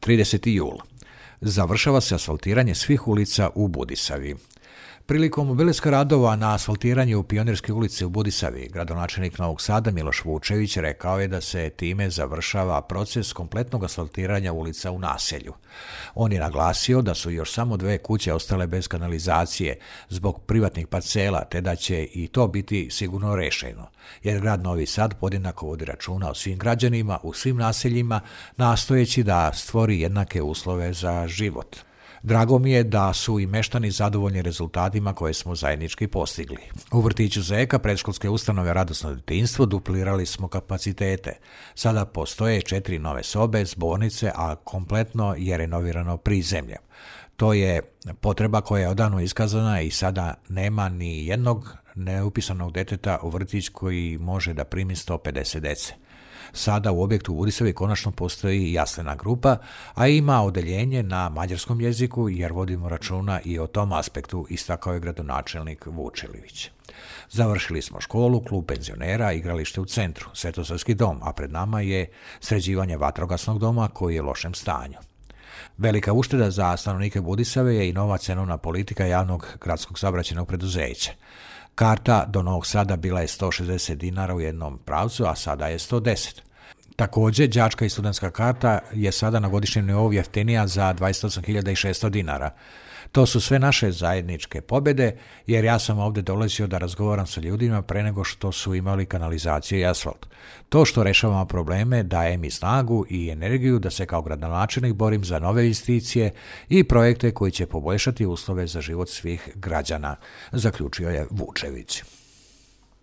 30. jul. Završava se asfaltiranje svih ulica u Budisavi. Prilikom obilaska radova na asfaltiranju Pionirske ulice u Budisavi, gradonačelnik Novog Sada Miloš Vučević rekao je da se time završava proces kompletnog asfaltiranja ulica u naselju. On je naglasio da su još samo 2 kuće ostale bez kanalizacije zbog privatnih parcela, te da će i to biti sigurno rešeno, jer grad Novi Sad podjednako vodi računa o svim građanima u svim naseljima, nastojeći da stvori jednake uslove za život. Drago mi je da su i meštani zadovoljni rezultatima koje smo zajednički postigli. U vrtiću Zeka predškolske ustanove Radosno detinjstvo duplirali smo kapacitete. Sada postoje 4 nove sobe, zbornice, a kompletno je renovirano prizemlje. To je potreba koja je odavno iskazana i sada nema ni jednog neupisanog deteta u vrtić koji može da primi 150 dece. Sada u objektu u Budisavi konačno postoji jaslena grupa, a ima odeljenje na mađarskom jeziku jer vodimo računa i o tom aspektu, istakao je gradonačelnik Vučević. Završili smo školu, klub penzionera, igralište u centru, Svetosavski dom, a pred nama je sređivanje vatrogasnog doma koji je u lošem stanju. Velika ušteda za stanovnike Budisave je i nova cenovna politika javnog gradskog saobraćajnog preduzeća. Karta do Novog Sada bila je 160 dinara u jednom pravcu, a sada je 110. Također, đačka i studentska karta je sada na godišnjem nivou jeftinija za 28.600 dinara. To su sve naše zajedničke pobjede, jer ja sam ovdje dolazio da razgovaram sa ljudima pre nego što su imali kanalizaciju i asfalt. To što rešavamo probleme daje mi snagu i energiju da se kao gradonačelnik borim za nove investicije i projekte koji će poboljšati uslove za život svih građana, zaključio je Vučević.